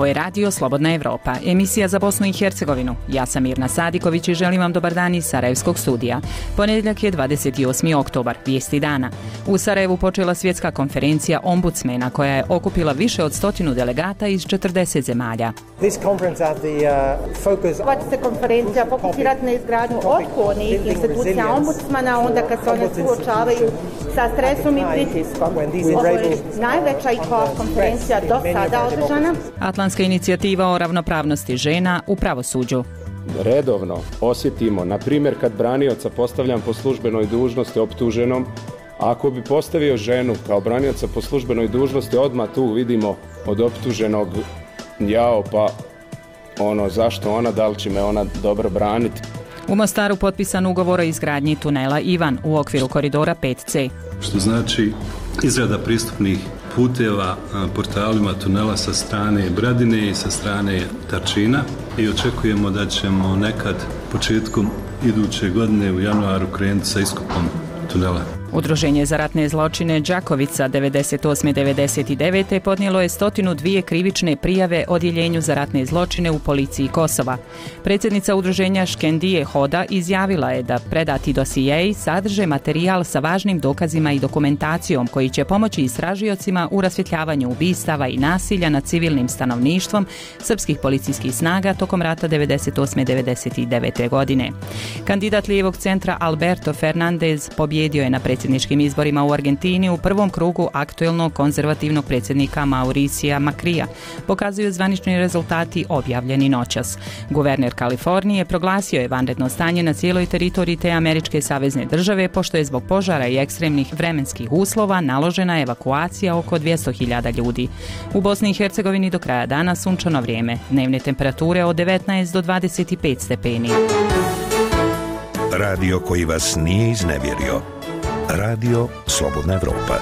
Ovo je Radio Slobodna Evropa, emisija za Bosnu i Hercegovinu. Ja sam Mirna Sadiković i želim vam dobar dan iz Sarajevskog studija. Ponedjeljak je 28. oktobar, vijesti dana. U Sarajevu počela svjetska konferencija ombudsmena koja je okupila više od 100 delegata iz 40 zemalja. Ova će se konferencija fokusirati na izgradnju otpornih institucija ombudsmana onda kad se one suočavaju sa stresom i pritiskom. Ovo je najveća ICOA konferencija do sada održana. Atlantska inicijativa o ravnopravnosti žena u pravosuđu. Redovno osjetimo, na primjer kad branioca postavljam po službenoj dužnosti optuženom, ako bi postavio ženu kao branioca po službenoj dužnosti, odmah tu vidimo od optuženog jao pa zašto ona, da li će me ona dobro braniti. U Mostaru potpisan ugovor o izgradnji tunela Ivan u okviru koridora 5C. Što znači izrada pristupnih puteva portalima tunela sa strane Bradine i sa strane Tačina i očekujemo da ćemo nekad početkom iduće godine u januaru krenuti sa iskopom tunela. Udruženje za ratne zločine Đakovica 98-99 podnijelo je 102 krivične prijave odjeljenju za ratne zločine u policiji Kosova. Predsjednica udruženja Škendije Hoda izjavila je da predati dosijeji sadrže materijal sa važnim dokazima i dokumentacijom koji će pomoći istražiocima u rasvjetljavanju ubistava i nasilja nad civilnim stanovništvom srpskih policijskih snaga tokom rata 98-99 godine. Kandidat lijevog centra Alberto Fernandez pobjedio je na predsjedničkim izborima u Argentini u prvom krugu aktuelnog konzervativnog predsjednika Mauricija Makrija, pokazuju zvanični rezultati objavljeni noćas. Guverner Kalifornije proglasio je vanredno stanje na cijeloj teritoriji te američke savezne države, pošto je zbog požara i ekstremnih vremenskih uslova naložena evakuacija oko 200.000 ljudi. U Bosni i Hercegovini do kraja dana sunčano vrijeme, dnevne temperature od 19 do 25 stepeni. Radio koji vas nije iznevjerio. Radio Slobodna Evropa.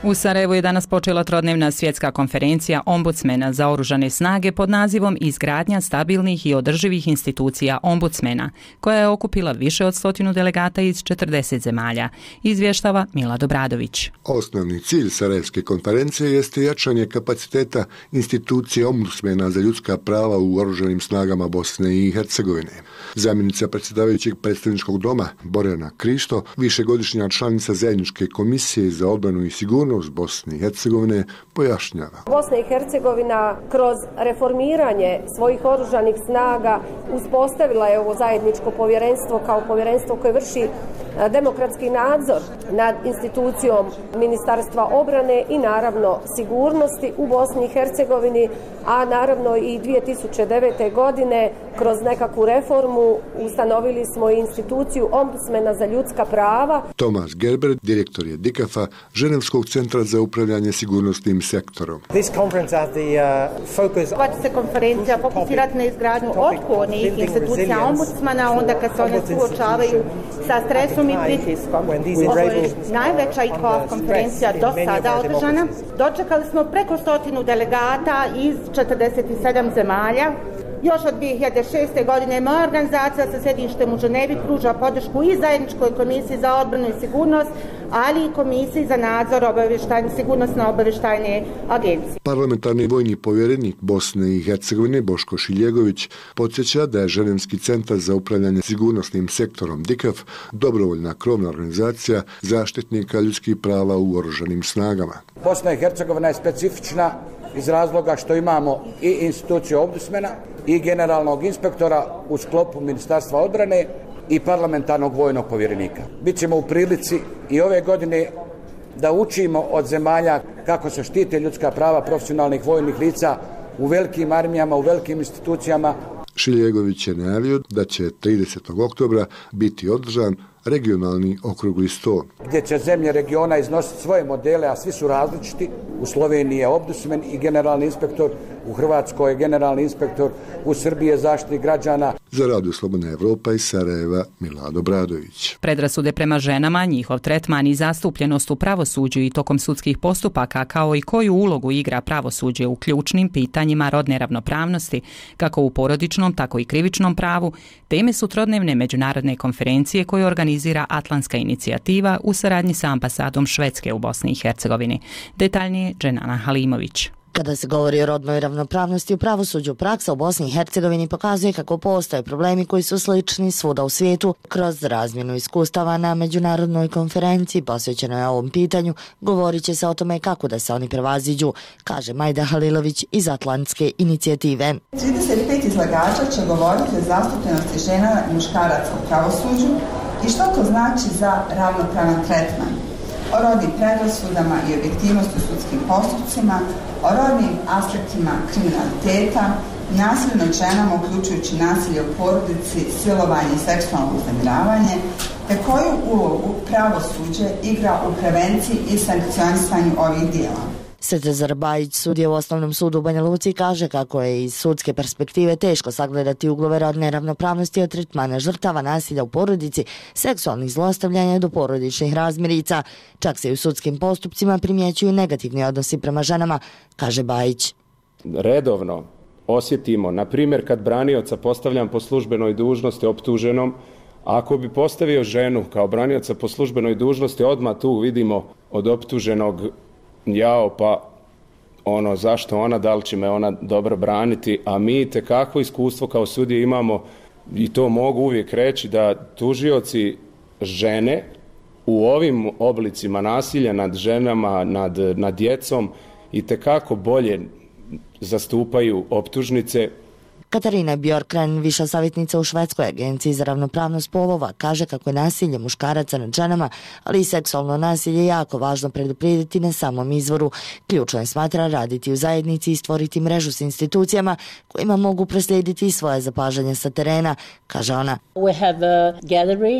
U Sarajevu je danas počela trodnevna svjetska konferencija ombudsmena za oružane snage pod nazivom Izgradnja stabilnih i održivih institucija ombudsmena, koja je okupila više od 100 delegata iz 40 zemalja, izvještava Milad Obradović. Osnovni cilj Sarajevske konferencije jeste jačanje kapaciteta institucije ombudsmena za ljudska prava u oružanim snagama Bosne i Hercegovine. Zamjenica predsjedavajućeg predstavničkog doma Borjana Krišto, višegodišnja članica zajedničke komisije za odbranu i sigurnost Bosne i Hercegovine, pojašnjava. Bosna i Hercegovina kroz reformiranje svojih oružanih snaga uspostavila je ovo zajedničko povjerenstvo kao povjerenstvo koje vrši demokratski nadzor nad institucijom Ministarstva obrane i naravno sigurnosti u Bosni i Hercegovini, a naravno i 2009. godine kroz nekakvu reformu ustanovili smo instituciju ombudsmena za ljudska prava. Tomas Gerber, direktor je DICAF-a, Ženevskog centra za upravljanje sigurnosnim sektorom. Ova će se konferencija fokusirati na izgradnju otpornih institucija ombudsmana onda kad se one suočavaju sa stresom i pritiskom. Ovo je najveća ICOA konferencija do sada održana. Dočekali smo preko 100 delegata iz 47 zemalja. Još od 2006. godine moja organizacija sa sjedištem u Ženevi pruža podršku i zajedničkoj komisiji za odbranu i sigurnost, ali i komisiji za nadzor sigurnosno-obavještajne agencije. Parlamentarni vojni povjerenik Bosne i Hercegovine Boško Šiljegović podsjeća da je Ženevski centar za upravljanje sigurnosnim sektorom DICAF dobrovoljna krovna organizacija zaštitnika ljudskih prava u oružanim snagama. Bosna i Hercegovina je specifična iz razloga što imamo i instituciju ombudsmena i generalnog inspektora u sklopu Ministarstva odbrane i parlamentarnog vojnog povjerenika. Bićemo u prilici i ove godine da učimo od zemalja kako se štite ljudska prava profesionalnih vojnih lica u velikim armijama, u velikim institucijama. Šiljegović je najavio da će 30. oktobra biti održan regionalni okrugli sto. Gdje će zemlje regiona iznositi svoje modele, a svi su različiti. U Sloveniji je ombudsman i generalni inspektor, u Hrvatskoj je generalni inspektor, u Srbiji je zaštitnik građana. Za Radio Slobodna Evropa iz Sarajeva, Milad Obradović. Predrasude prema ženama, njihov tretman i zastupljenost u pravosuđu i tokom sudskih postupaka, kao i koju ulogu igra pravosuđe u ključnim pitanjima rodne ravnopravnosti, kako u porodičnom, tako i krivičnom pravu, teme su trodnevne međunarodne konferencije koju organizira Atlantska inicijativa u saradnji sa ambasadom Švedske u Bosni i Hercegovini. Detaljnije Dženana Halimović. Kada se govori o rodnoj ravnopravnosti u pravosuđu, praksa u Bosni i Hercegovini pokazuje kako postoje problemi koji su slični svuda u svijetu. Kroz razmjenu iskustava na međunarodnoj konferenciji posvećenoj ovom pitanju govorit će se o tome kako da se oni prevaziđu, kaže Majda Halilović iz Atlantske inicijative. 35 izlagača će govoriti o zastupljenosti žena i muškaraca u pravosuđu i što to znači za ravnopravan tretman. O rodnim predrasudama i objektivnosti u sudskim postupcima, o rodnim aspektima kriminaliteta, nasilju nad ženama uključujući nasilje u porodici, silovanje i seksualno uznemiravanje, te koju ulogu pravosuđe igra u prevenciji i sankcionisanju ovih dijela. Svetozar Bajić, sudija u Osnovnom sudu u Banja Luci, kaže kako je iz sudske perspektive teško sagledati uglove rodne ravnopravnosti od tretmana žrtava nasilja u porodici, seksualnih zlostavljanja do porodičnih razmirica. Čak se i u sudskim postupcima primjećuju negativni odnosi prema ženama, kaže Bajić. Redovno osjetimo, na primjer kad branioca postavljam po službenoj dužnosti optuženom, ako bi postavio ženu kao branioca po službenoj dužnosti, odmah tu vidimo od optuženog jao, pa zašto ona, da li će me ona dobro braniti, a mi tekako iskustvo kao sudije imamo i to mogu uvijek reći da tužioci žene u ovim oblicima nasilja nad ženama, nad djecom i tekako bolje zastupaju optužnice. Katarina Bjorkren, viša savjetnica u Švedskoj agenciji za ravnopravnost spolova, kaže kako je nasilje muškaraca nad ženama, ali i seksualno nasilje jako važno preduprijediti na samom izvoru. Ključno je, smatra, raditi u zajednici i stvoriti mrežu s institucijama kojima mogu proslijediti svoje zapažanje sa terena, kaže ona.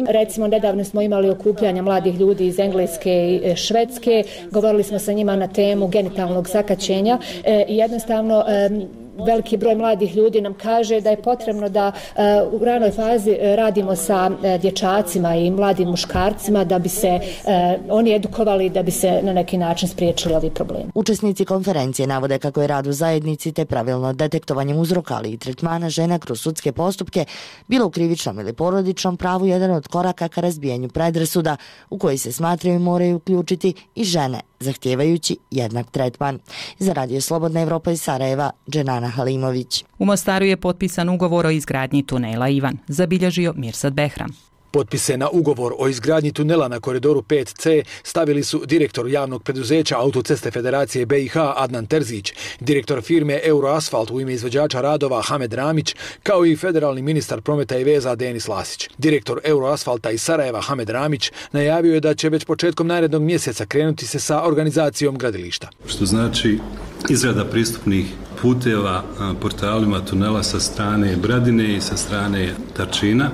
Recimo, nedavno smo imali okupljanja mladih ljudi iz Engleske i Švedske, govorili smo sa njima na temu genitalnog sakaćenja i jednostavno veliki broj mladih ljudi nam kaže da je potrebno da u ranoj fazi radimo sa dječacima i mladim muškarcima da bi se oni edukovali, da bi se na neki način spriječili ovi problemi. Učesnici konferencije navode kako je rad u zajednici te pravilno detektovanje uzroka, ali i tretmana žena kroz sudske postupke, bilo u krivičnom ili porodičnom pravu, jedan od koraka ka razbijanju predrasuda u koji se smatraju moraju uključiti i žene, zahtijevajući jednak tretman. Za Radio Slobodna Evropa iz Sarajeva, Dženana Halimović. U Mostaru je potpisan ugovor o izgradnji tunela Ivan, zabilježio Mirsad Behram. Potpise na ugovor o izgradnji tunela na koridoru 5C stavili su direktor javnog preduzeća Autoceste Federacije BiH Adnan Terzić, direktor firme Euroasfalt u ime izvođača radova Hamed Ramić, kao i federalni ministar prometa i veza Denis Lasić. Direktor Euroasfalta iz Sarajeva Hamed Ramić najavio je da će već početkom narednog mjeseca krenuti se sa organizacijom gradilišta. Što znači izrada pristupnih puteva portalima tunela sa strane Bradine i sa strane Tačina.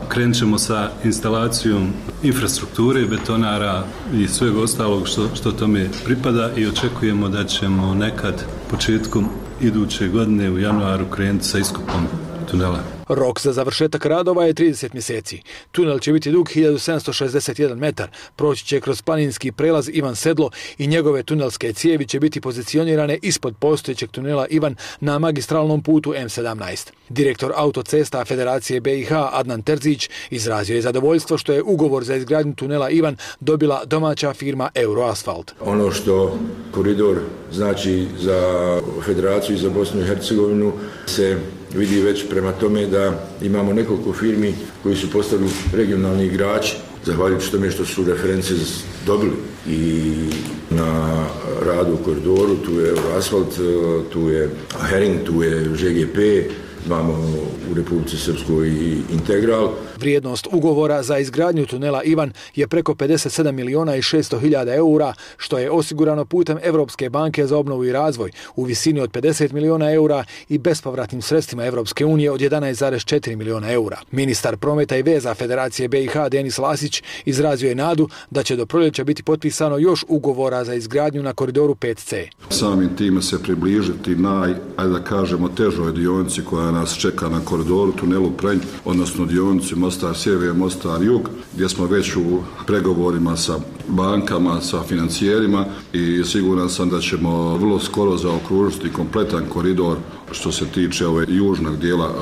Krenut ćemo sa instalacijom infrastrukture, betonara i svega ostalog što tome pripada i očekujemo da ćemo nekad početkom iduće godine u januaru krenuti sa iskopom tunela. Rok za završetak radova je 30 mjeseci. Tunel će biti dug 1761 metar, proći će kroz planinski prelaz Ivan Sedlo i njegove tunelske cijevi će biti pozicionirane ispod postojećeg tunela Ivan na magistralnom putu M17. Direktor Autocesta Federacije BiH Adnan Terzić izrazio je zadovoljstvo što je ugovor za izgradnju tunela Ivan dobila domaća firma Euroasfalt. Ono što koridor znači za Federaciju i za Bosnu i Hercegovinu se vidi već prema tome da imamo nekoliko firmi koji su postali regionalni igrači, zahvaljujući tome što su reference dobili i na radu u koridoru. Tu je Euroasfalt, tu je Hering, tu je ŽGP, imamo u Republici Srpskoj i Integral. Vrijednost ugovora za izgradnju tunela Ivan je preko 57 miliona i 600 hiljada eura, što je osigurano putem Evropske banke za obnovu i razvoj u visini od 50 miliona eura i bespovratnim sredstvima Evropske unije od 11,4 miliona eura. Ministar prometa i veza Federacije BiH Denis Lasić izrazio je nadu da će do proljeća biti potpisano još ugovora za izgradnju na koridoru 5C. Samim time se približiti ajde da kažemo, težoj dionici koja nas čeka na koridoru tunelu Prenj, odnosno dionici Mostar sjever, Mostar jug, gdje smo već u pregovorima sa bankama, sa financijerima i siguran sam da ćemo vrlo skoro zaokružiti kompletan koridor što se tiče južnog dijela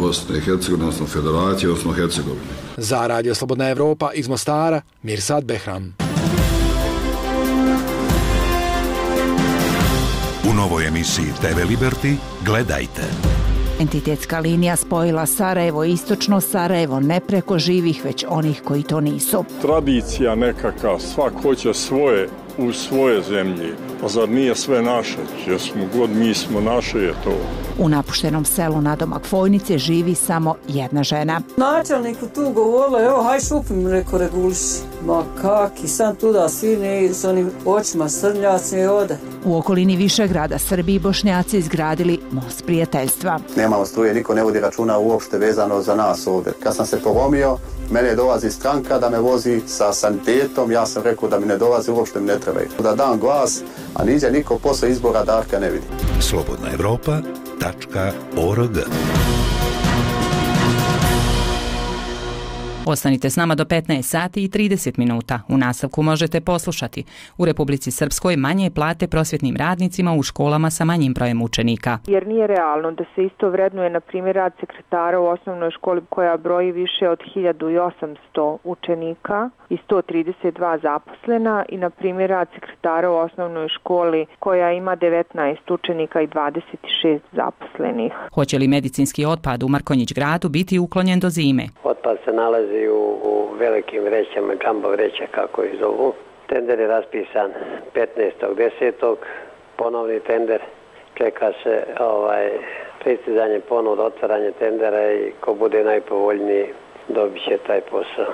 Bosne i Hercegovine, odnosno Federacije, odnosno Hercegovine. Za Radio Slobodna Evropa iz Mostara, Mirsad Behram. U novoj emisiji TV Liberty gledajte. Entitetska linija spojila Sarajevo i istočno Sarajevo ne preko živih, već onih koji to nisu. Tradicija nekakav, svak hoće svoje u svoje zemlji. Pa zar nije sve naše? Jesmo god mi smo naše je to. U napuštenom selu nadomak Fojnice živi samo jedna žena. Načelniku tu govorila, evo haj šupim, reko reguliši. Ma kak, i sam tuda sine s onim očima srnjaci i ode. U okolini Višegrada Srbi i Bošnjaci izgradili most prijateljstva. Nemamo struje, niko ne vodi računa uopšte vezano za nas ovdje. Kad sam se poromio, mene dolazi stranka da me vozi sa sanitetom, ja sam rekao da mi ne dolazi, uopšte mi ne trebaju. Da dam glas, a niđe niko posle izbora Darka ne vidi. slobodnaevropa.org. Ostanite s nama do 15 sati i 30 minuta. U nastavku možete poslušati. U Republici Srpskoj manje plate prosvjetnim radnicima u školama sa manjim brojem učenika. Jer nije realno da se isto vrednuje, na primjer, rad sekretara u osnovnoj školi koja broji više od 1800 učenika i 132 zaposlena i, na primjer, rad sekretara u osnovnoj školi koja ima 19 učenika i 26 zaposlenih. Hoće li medicinski otpad u Markonjić gradu biti uklonjen do zime? Otpad se nalazi u velikim vrećama, džambo vreća kako ih zovu. Tender je raspisan 15.10. Ponovni tender. Čeka se pristizanje ponuda, otvaranje tendera i ko bude najpovoljniji dobit će taj posao.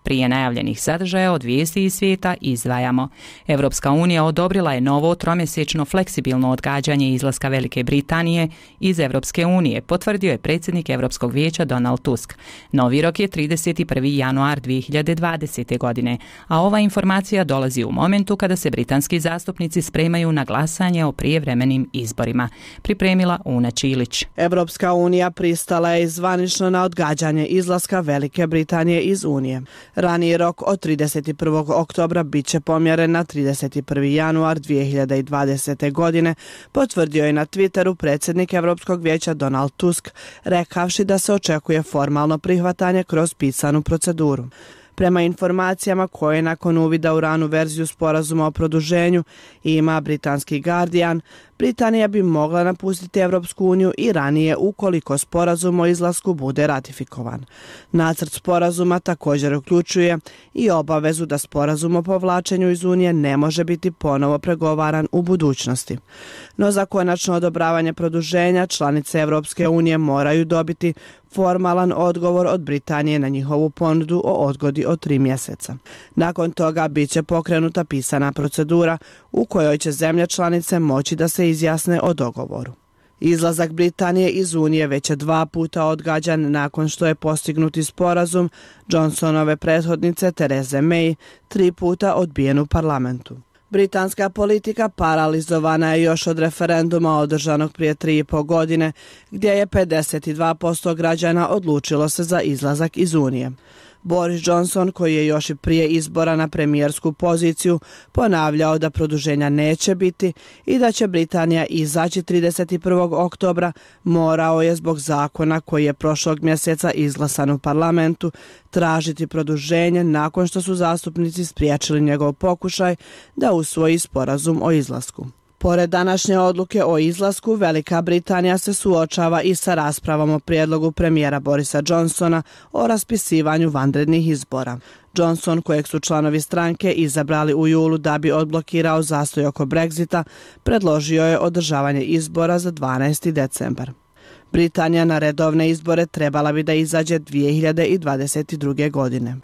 Prije najavljenih sadržaja od vijesti iz svijeta izdvajamo. Evropska unija odobrila je novo tromjesečno fleksibilno odgađanje izlaska Velike Britanije iz Evropske unije, potvrdio je predsjednik Europskog vijeća Donald Tusk. Novi rok je 31. januar 2020. godine, a ova informacija dolazi u momentu kada se britanski zastupnici spremaju na glasanje o prijevremenim izborima. Pripremila Una Čilić. Evropska unija pristala je zvanično na odgađanje izlaska Velike Britanije iz Unije. Raniji rok od 31. oktobra bit će pomjeren na 31. januar 2020. godine, potvrdio je na Twitteru predsjednik Europskog vijeća Donald Tusk, rekavši da se očekuje formalno prihvatanje kroz pisanu proceduru. Prema informacijama koje nakon uvida u ranu verziju sporazuma o produženju ima britanski Guardian, Britanija bi mogla napustiti Evropsku uniju i ranije ukoliko sporazum o izlasku bude ratifikovan. Nacrt sporazuma također uključuje i obavezu da sporazum o povlačenju iz Unije ne može biti ponovo pregovaran u budućnosti. No za konačno odobravanje produženja članice Evropske unije moraju dobiti formalan odgovor od Britanije na njihovu ponudu o odgodi od 3 mjeseca. Nakon toga bit će pokrenuta pisana procedura u kojoj će zemlje članice moći da se izjasne o dogovoru. Izlazak Britanije iz Unije već je 2 puta odgađan nakon što je postignuti sporazum Johnsonove prethodnice Therese May 3 puta odbijen u parlamentu. Britanska politika paralizovana je još od referenduma održanog prije 3,5 godine, gdje je 52% građana odlučilo se za izlazak iz Unije. Boris Johnson, koji je još i prije izbora na premijersku poziciju ponavljao da produženja neće biti i da će Britanija izaći 31. oktobra, morao je zbog zakona koji je prošlog mjeseca izglasan u parlamentu tražiti produženje nakon što su zastupnici spriječili njegov pokušaj da usvoji sporazum o izlasku. Pored današnje odluke o izlasku, Velika Britanija se suočava i sa raspravom o prijedlogu premijera Borisa Johnsona o raspisivanju vanrednih izbora. Johnson, kojeg su članovi stranke izabrali u julu da bi odblokirao zastoj oko Brexita, predložio je održavanje izbora za 12. decembar. Britanija na redovne izbore trebala bi da izađe 2022. godine.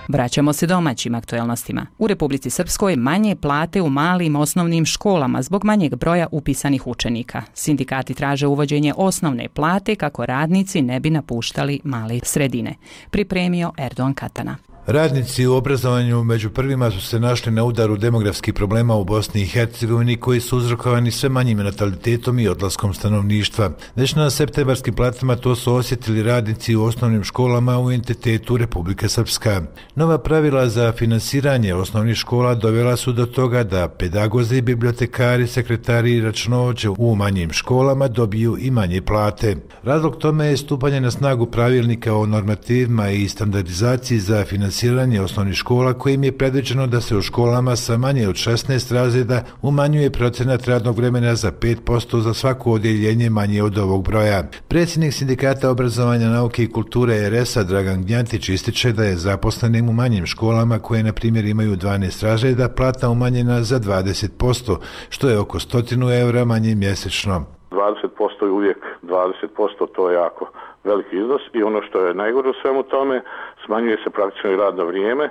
Vraćamo se domaćim aktuelnostima. U Republici Srpskoj manje plate u malim osnovnim školama zbog manjeg broja upisanih učenika. Sindikati traže uvođenje osnovne plate kako radnici ne bi napuštali male sredine. Pripremio Erdogan Katana. Radnici u obrazovanju među prvima su se našli na udaru demografskih problema u Bosni i Hercegovini koji su uzrokovani sve manjim natalitetom i odlaskom stanovništva. Već na septembarskim platama to su osjetili radnici u osnovnim školama u entitetu Republike Srpska. Nova pravila za finansiranje osnovnih škola dovela su do toga da pedagozi, bibliotekari, sekretari i računovođe u manjim školama dobiju i manje plate. Razlog tome je stupanje na snagu pravilnika o normativima i standardizaciji za finansiranje finansiranje osnovnih škola kojim je predviđeno da se u školama sa manje od 16 razreda umanjuje procenat radnog vremena za 5% za svako odjeljenje manje od ovog broja. Predsjednik Sindikata obrazovanja, nauke i kulture RS-a Dragan Gnjatić ističe da je zaposlenim u manjim školama koje na primjer imaju 12 razreda plata umanjena za 20%, što je oko 100 eura manje mjesečno. 20% je uvijek 20%, to je jako veliki iznos i ono što je najgore u svemu tome, smanjuje se praktično i radno vrijeme.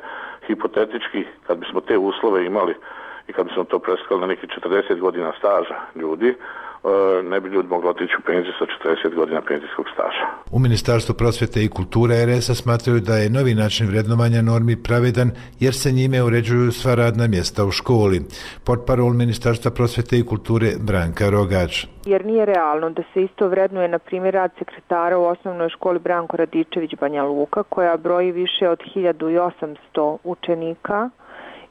Hipotetički, kad bismo te uslove imali i kad bismo to preskali na neki 40 godina staža ljudi, ne bi ljudi mogli otići u penziju sa 40 godina penzijskog staža. U Ministarstvu prosvjete i kulture RS-a smatraju da je novi način vrednovanja normi pravedan jer se njime uređuju sva radna mjesta u školi. Portparol Ministarstva prosvjete i kulture Branka Rogač. Jer nije realno da se isto vrednuje, na primjer, rad sekretara u osnovnoj školi Branko Radičević Banja Luka, koja broji više od 1800 učenika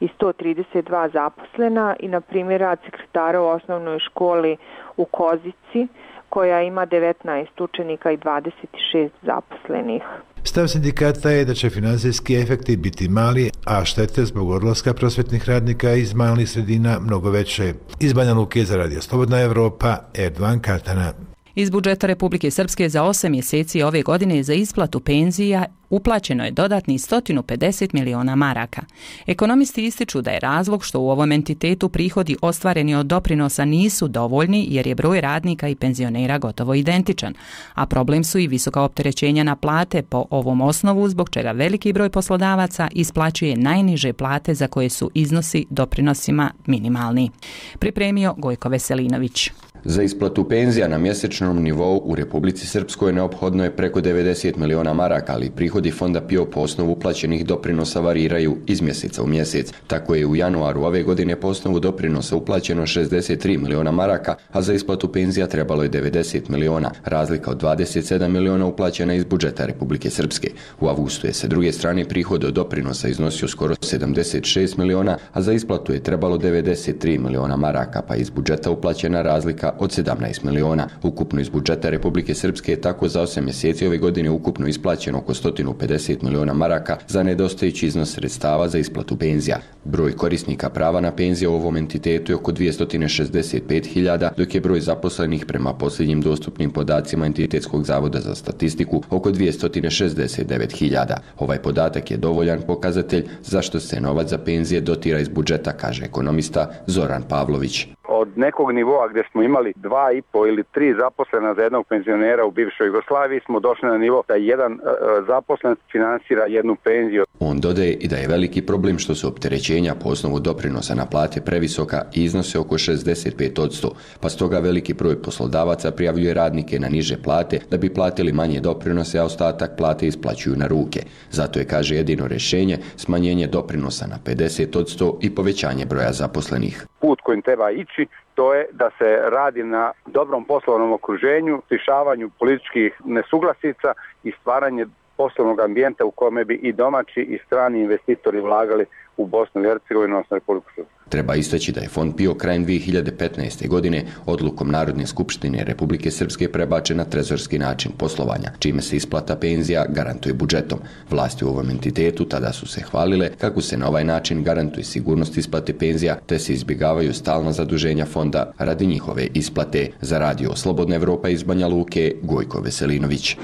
i 132 zaposlena, i na primjer rad sekretara u osnovnoj školi u Kozici koja ima 19 učenika i 26 zaposlenih. Stav sindikata je da će financijski efekti biti mali, a štete zbog odlaska prosvjetnih radnika iz malih sredina mnogo veće. Iz Banja Luke za Radio Slobodna Evropa, Erdovan Katana. Iz budžeta Republike Srpske za 8 mjeseci ove godine za isplatu penzija uplaćeno je dodatni 150 miliona maraka. Ekonomisti ističu da je razlog što u ovom entitetu prihodi ostvareni od doprinosa nisu dovoljni jer je broj radnika i penzionera gotovo identičan, a problem su i visoka opterećenja na plate po ovom osnovu, zbog čega veliki broj poslodavaca isplaćuje najniže plate za koje su iznosi doprinosima minimalni. Pripremio Gojko Veselinović. Za isplatu penzija na mjesečnom nivou u Republici Srpskoj neophodno je preko 90 miliona maraka, ali prihodi fonda PIO po osnovu uplaćenih doprinosa variraju iz mjeseca u mjesec. Tako je u januaru ove godine po osnovu doprinosa uplaćeno 63 miliona maraka, a za isplatu penzija trebalo je 90 miliona, razlika od 27 miliona uplaćena iz budžeta Republike Srpske. U avgustu je sa druge strane prihod od doprinosa iznosio skoro 76 miliona, a za isplatu je trebalo 93 miliona maraka, pa iz budžeta uplaćena razlika od 17 miliona. Ukupno iz budžeta Republike Srpske je tako za 8 mjeseci ove godine ukupno isplaćeno oko 150 miliona maraka za nedostajući iznos sredstava za isplatu penzija. Broj korisnika prava na penzije u ovom entitetu je oko 265.000, dok je broj zaposlenih prema posljednjim dostupnim podacima Entitetskog zavoda za statistiku oko 269.000. Ovaj podatak je dovoljan pokazatelj zašto se novac za penzije dotira iz budžeta, kaže ekonomista Zoran Pavlović. Od nekog nivoa gdje smo imali 2,5 ili 3 zaposlena za jednog penzionera u bivšoj Jugoslaviji smo došli na nivo da jedan zaposlen finansira jednu penziju. On dodaje i da je veliki problem što su opterećenja po osnovu doprinosa na plate previsoka i iznose oko 65%, pa stoga veliki broj poslodavaca prijavljuje radnike na niže plate da bi platili manje doprinose, a ostatak plate isplaćuju na ruke. Zato je, kaže, jedino rješenje smanjenje doprinosa na 50% i povećanje broja zaposlenih. Put kojim treba ići, to je da se radi na dobrom poslovnom okruženju, rješavanju političkih nesuglasica i stvaranje poslovnog ambijenta u kome bi i domaći i strani investitori vlagali u Bosnu i Hercegovinu, odnosno Republiku Srpsku. Treba istaći da je fond PIO krajem 2015. godine odlukom Narodne skupštine Republike Srpske prebačen na trezorski način poslovanja, čime se isplata penzija garantuje budžetom. Vlasti u ovom entitetu tada su se hvalile kako se na ovaj način garantuje sigurnost isplate penzija, te se izbjegavaju stalna zaduženja fonda radi njihove isplate. Za Radio Slobodna Evropa iz Banja Luke, Gojko Veselinović.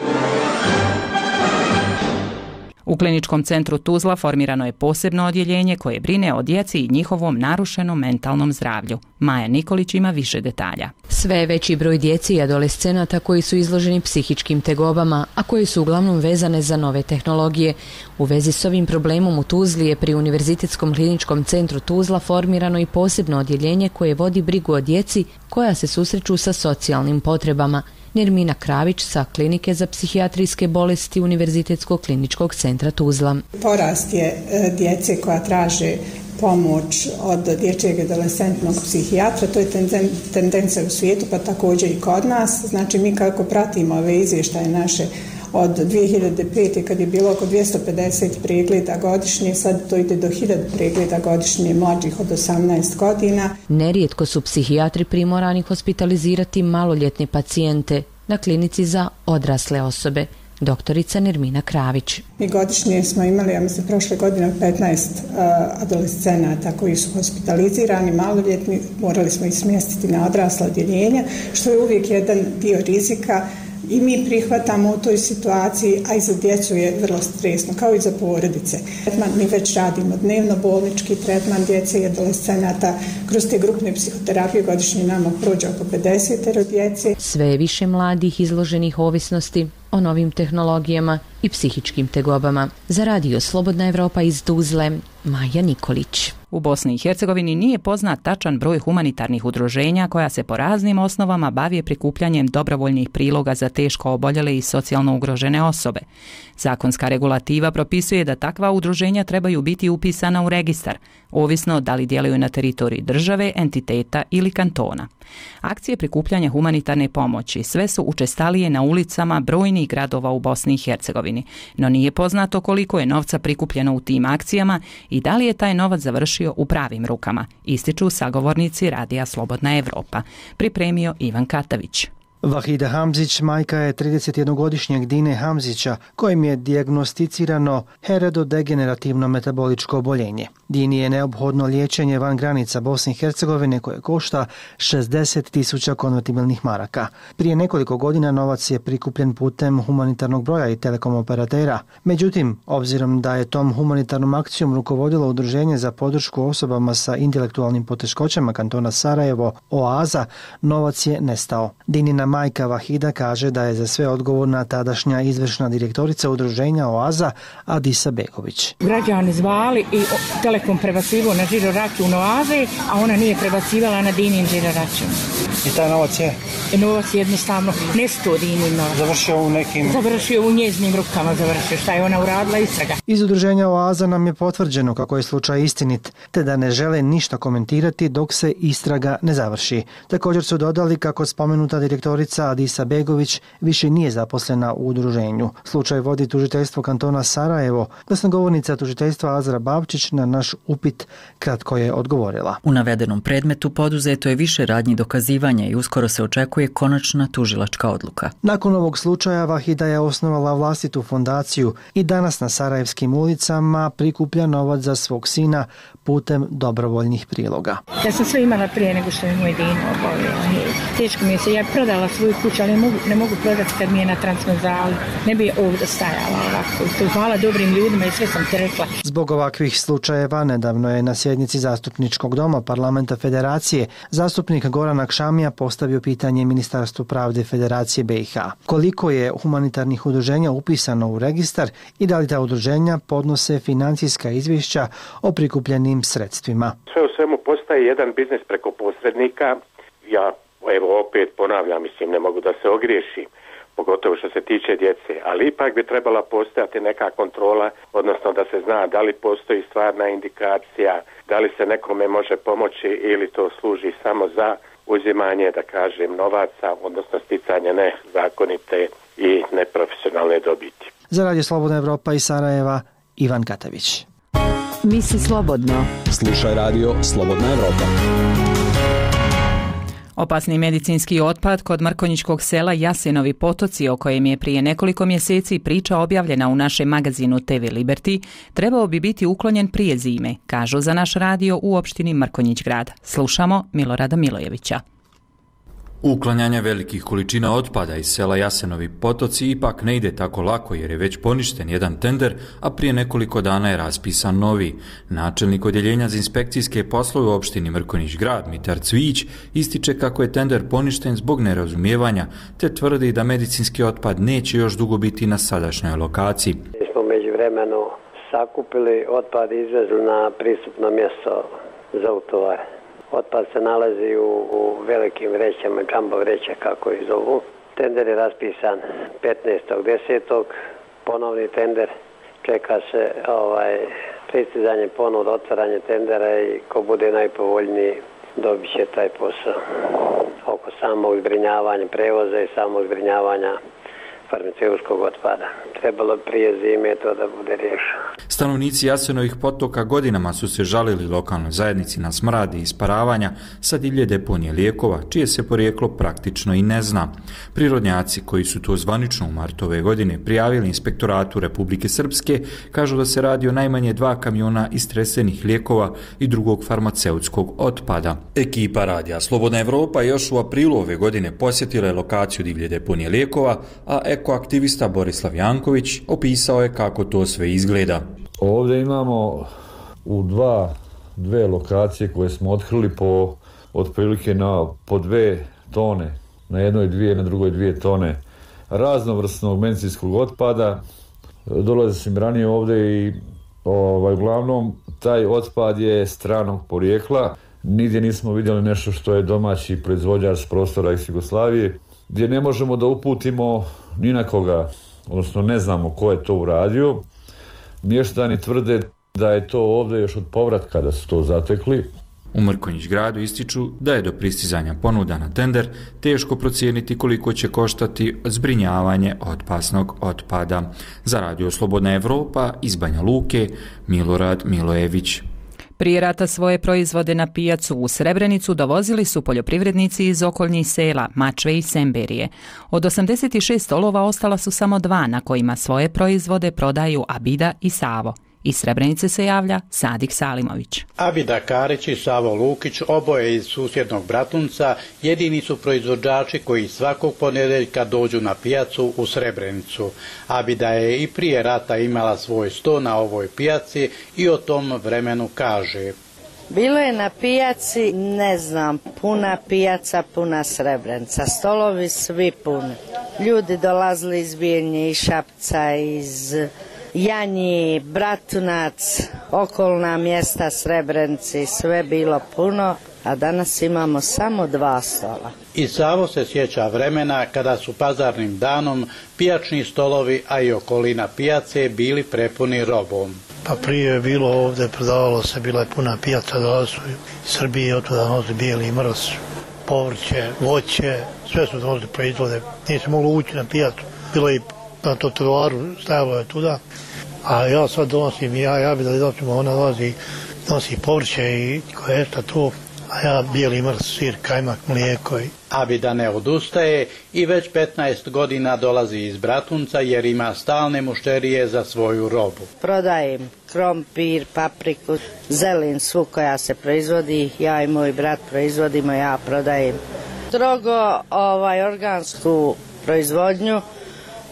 U Kliničkom centru Tuzla formirano je posebno odjeljenje koje brine o djeci i njihovom narušenom mentalnom zdravlju. Maja Nikolić ima više detalja. Sve je veći broj djeci i adolescenata koji su izloženi psihičkim tegobama, a koji su uglavnom vezane za nove tehnologije. U vezi s ovim problemom u Tuzli je pri Univerzitetskom kliničkom centru Tuzla formirano i posebno odjeljenje koje vodi brigu o djeci koja se susreću sa socijalnim potrebama. Nermina Kravić sa Klinike za psihijatrijske bolesti Univerzitetskog kliničkog centra Tuzla. Porast je djece koja traže pomoć od dječjeg adolescentnog psihijatra, to je tendencija u svijetu, pa također i kod nas. Znači mi kako pratimo ove izvještaje naše od 2005. kad je bilo oko 250 pregleda godišnje, sad to ide do 1000 pregleda godišnje mlađih od 18 godina. Nerijetko su psihijatri primorani hospitalizirati maloljetne pacijente na klinici za odrasle osobe. doktorica Nermina Kravić. Mi godišnje smo imali, ja mislim, prošle godine 15 adolescenata koji su hospitalizirani, maloljetni, morali smo ih smjestiti na odrasla odjeljenja, što je uvijek jedan dio rizika i mi prihvatamo u toj situaciji, a i za djecu je vrlo stresno, kao i za porodice. Mi već radimo dnevno bolnički tretman djece i adolescenata. Kroz te grupne psihoterapije godišnje nama prođe oko 50 djece. Sve je više mladih izloženih ovisnosti o novim tehnologijama i psihičkim tegobama. Za radio Slobodna Evropa iz Tuzle, Maja Nikolić. U Bosni i Hercegovini nije poznat tačan broj humanitarnih udruženja koja se po raznim osnovama bave prikupljanjem dobrovoljnih priloga za teško oboljele i socijalno ugrožene osobe. Zakonska regulativa propisuje da takva udruženja trebaju biti upisana u registar, ovisno da li djeluju na teritoriji države, entiteta ili kantona. Akcije prikupljanja humanitarne pomoći sve su učestalije na ulicama brojnih gradova u Bosni i Hercegovini, no nije poznato koliko je novca prikupljeno u tim akcijama i da li je taj novac završio u pravim rukama, ističu sagovornici Radija Slobodna Evropa. Pripremio Ivan Katavić. Vahida Hamzić majka je 31-godišnjeg Dine Hamzića kojim je dijagnosticirano heredodegenerativno metaboličko oboljenje. Dini je neophodno liječenje van granica Bosne i Hercegovine koje košta 60.000 konvertibilnih maraka. Prije nekoliko godina novac je prikupljen putem humanitarnog broja i telekom operatera. Međutim, obzirom da je tom humanitarnom akcijom rukovodilo Udruženje za podršku osobama sa intelektualnim poteškoćama kantona Sarajevo, OAZA, novac je nestao. Dinina majka Vahida kaže da je za sve odgovorna tadašnja izvršna direktorica udruženja OAZA Adisa Begović. Građani zvali i Telekom prebacivo na žiro račun OAZE, a ona nije prebacivala na Dinin žiro račun. I taj novac je? Novac je jednostavno nesto Dinin novac. Završio u njeznim rukama, šta je ona uradila, istraga. Iz udruženja OAZA nam je potvrđeno kako je slučaj istinit, te da ne žele ništa komentirati dok se istraga ne završi. Također su dodali kako spomenuta direktorica Adisa Begović više nije zaposlena u udruženju. Slučaj vodi tužiteljstvo kantona Sarajevo. Glasnogovornica tužiteljstva Azra Babčić na naš upit kratko je odgovorila. U navedenom predmetu poduzeto je više radnji dokazivanja i uskoro se očekuje konačna tužilačka odluka. Nakon ovog slučaja Vahida je osnovala vlastitu fondaciju i danas na sarajevskim ulicama prikuplja novac za svog sina putem dobrovoljnih priloga. Ja sam sve imala prije nego što je moj Dino obolio. Teško mi je se, ja prodala svoju kuću, ali ne mogu prodati kad mi je na Transmezali. Ne bi ovdje stajala ovako. Hvala dobrim ljudima i sve sam ti rekla. Zbog ovakvih slučajeva nedavno je na sjednici Zastupničkog doma Parlamenta Federacije zastupnik Goran Akšamija postavio pitanje Ministarstvu pravde Federacije BiH. Koliko je humanitarnih udruženja upisano u registar i da li ta udruženja podnose financijska izvješća o prikupljenim sredstvima? Sve u svemu postaje jedan biznis preko posrednika. Ja opet ponavljam, ne mogu da se ogriješim, pogotovo što se tiče djece, ali ipak bi trebala postojati neka kontrola, odnosno da se zna da li postoji stvarna indikacija, da li se nekome može pomoći ili to služi samo za uzimanje, da kažem, novaca, odnosno sticanje nezakonite i neprofesionalne dobiti. Za Radio Slobodna Evropa iz Sarajeva, Ivan Katavić. Misli slobodno. Slušaj Radio Slobodna Evropa. Opasni medicinski otpad kod mrkonjičkog sela Jasenovi potoci, o kojem je prije nekoliko mjeseci priča objavljena u našem magazinu TV Liberty, trebao bi biti uklonjen prije zime, kažu za naš radio u opštini Mrkonjić grad. Slušamo Milorada Milojevića. Uklanjanje velikih količina otpada iz sela Jasenovi potoci ipak ne ide tako lako jer je već poništen jedan tender, a prije nekoliko dana je raspisan novi. Načelnik odjeljenja za inspekcijske poslove u opštini Mrkonjić grad, Mitar Cvić, ističe kako je tender poništen zbog nerazumijevanja, te tvrdi da medicinski otpad neće još dugo biti na sadašnjoj lokaciji. Mi smo međuvremeno sakupili otpad i izvezli na pristupno mjesto za utovar. Otpad se nalazi u velikim vrećama, džambo vreće kako ih zovu. Tender je raspisan 15.10. Ponovni tender. Čeka se pristizanje ponuda, otvaranje tendera i ko bude najpovoljniji dobit će taj posao. Oko samog zbrinjavanja prevoza i samog zbrinjavanja farmaceutskog otpada. Trebalo prije zime to da bude riješeno. Stanovnici Jasenovih potoka godinama su se žalili lokalnoj zajednici na smrad i isparavanja sa divlje deponije lijekova, čije se porijeklo praktično i ne zna. Prirodnjaci koji su to zvanično u martu ove godine prijavili Inspektoratu Republike Srpske kažu da se radi o najmanje 2 kamiona istresenih lijekova i drugog farmaceutskog otpada. Ekipa Radija Slobodna Evropa još u aprilu ove godine posjetila je lokaciju divlje deponije lijekova, a ekoaktivista Borislav Janković opisao je kako to sve izgleda. Ovdje imamo u dve lokacije koje smo otkrili po otprilike po 2 tone, na jednoj 2, na drugoj 2 tone raznovrsnog medicinskog otpada. Dolazio sam ranije ovdje i uglavnom taj otpad je stranog porijekla. Nigdje nismo vidjeli nešto što je domaći proizvođač s prostora ex-Jugoslavije, gdje ne možemo da uputimo ni na koga, odnosno ne znamo ko je to uradio. Mještani tvrde da je to ovdje još od povratka da su to zatekli. U Mrkonjić gradu ističu da je do pristizanja ponuda na tender teško procijeniti koliko će koštati zbrinjavanje opasnog otpada. Za Radio Slobodna Evropa iz Banja Luke, Milorad Milojević. Prije rata svoje proizvode na pijacu u Srebrenicu dovozili su poljoprivrednici iz okolnih sela Mačve i Semberije. Od 86 stolova ostala su samo 2 na kojima svoje proizvode prodaju Abida i Savo. Iz Srebrenice se javlja Sadik Salimović. Abida Karić i Savo Lukić, oboje iz susjednog Bratunca, jedini su proizvođači koji svakog ponedjeljka dođu na pijacu u Srebrenicu. Abida je i prije rata imala svoj sto na ovoj pijaci i o tom vremenu kaže. Bilo je na pijaci, ne znam, puna pijaca, puna Srebrenica, stolovi svi puni. Ljudi dolazili iz Bijeljnje, iz Šapca, iz Janji, Bratunac, okolna mjesta Srebrenici, sve bilo puno, a danas imamo samo 2 stola. I Savo se sjeća vremena kada su pazarnim danom pijačni stolovi, a i okolina pijace bili prepuni robom. Pa prije je bilo ovdje, prodavalo se, bila je puna pijaca, dolazili su iz Srbije, od tada nosi bijeli mrz, povrće, voće, sve su donosili proizvode. Nije se moglo ući na pijacu, bilo je na trotoaru, stajalo je tuda, a ja sad donosim, ja bi da donosimo, ona nosi povrće i koješta to, a ja bijeli mrz, sir, kajmak, mlijeko. Abida ne odustaje i već 15 godina dolazi iz Bratunca jer ima stalne mušterije za svoju robu. Prodajem krompir, papriku, zelin, svu koja se proizvodi, ja i moj brat proizvodimo, ja prodajem. Strogo organsku proizvodnju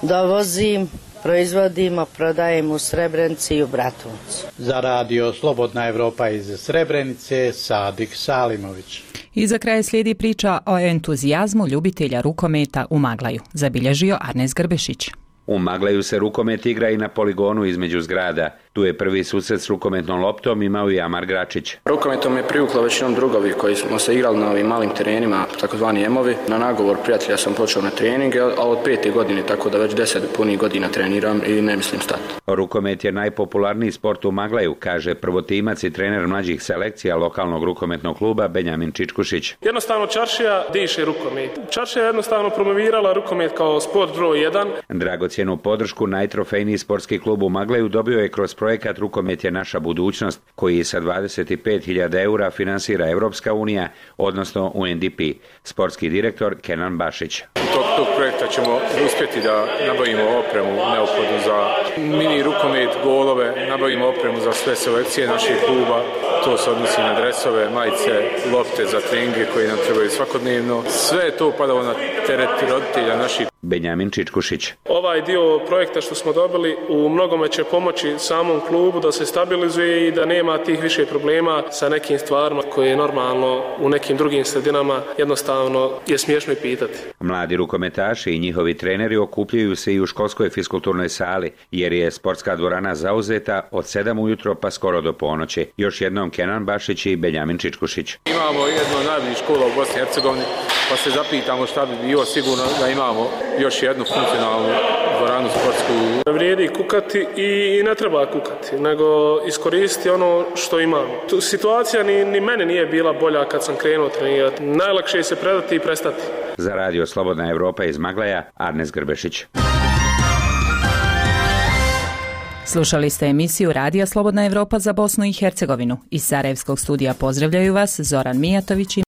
dovozim, proizvodimo, prodajem u Srebrenici i u Bratuncu. Za Radio Slobodna Evropa iz Srebrenice, Sadik Salimović. I za kraj slijedi priča o entuzijazmu ljubitelja rukometa u Maglaju, zabilježio Arnes Grbešić. U Maglaju se rukomet igra i na poligonu između zgrada. Tu je prvi susret s rukometnom loptom imao i Amar Gračić. Rukometom je privuklo većinom drugovi koji smo se igrali na ovim malim terenima, takozvani emovi. Na nagovor prijatelja sam počeo na treninge, a od 5. godine, tako da već 10 punih godina treniram i ne mislim stati. Rukomet je najpopularniji sport u Maglaju, kaže prvotimac i trener mlađih selekcija lokalnog rukometnog kluba Benjamin Čičkušić. Jednostavno Čaršija diše rukomet. Čaršija je jednostavno promovirala rukomet kao sport broj 1. Dragocjenu podršku najtrofejniji sportski klub u Maglaju dobio je kroz projekat Rukomet je naša budućnost, koji sa 25.000 eura finansira Evropska unija, odnosno UNDP. Sportski direktor Kenan Bašić. Tog projekta ćemo uspjeti da nabavimo opremu neophodnu za mini rukomet, golove, nabavimo opremu za sve selekcije naših kluba. To se odnosi na dresove, majice, lopte za treninge koji nam trebaju svakodnevno. Sve je to padalo na teret roditelja naših. Benjamin Čičkušić. Ovaj dio projekta što smo dobili u mnogome će pomoći samom klubu da se stabilizuje i da nema tih više problema sa nekim stvarima koje je normalno u nekim drugim sredinama jednostavno je smiješno i pitati. Mladi rukometaši i njihovi treneri okupljaju se i u školskoj fiskulturnoj sali, jer je sportska dvorana zauzeta od 7 ujutro pa skoro do ponoći. Još jednom Kenan Bašić i Benjamin Čičkušić. Imamo jednu od najboljih škola u Bosni i Hercegovini, pa se zapitamo šta bi bilo, sigurno da imamo još jednu funkcionalnu dvoranu sportsku. Ne vrijedi kukati i ne treba kukati, nego iskoristiti ono što imamo. Situacija ni mene nije bila bolja kad sam krenuo trenirati. Najlakše je se predati i prestati. Za Radio Slobodna Evropa iz Maglaja, Arnes Grbešić. Slušali ste emisiju Radija Slobodna Evropa za Bosnu i Hercegovinu. Iz Sarajevskog studija pozdravljaju vas Zoran Mijatović i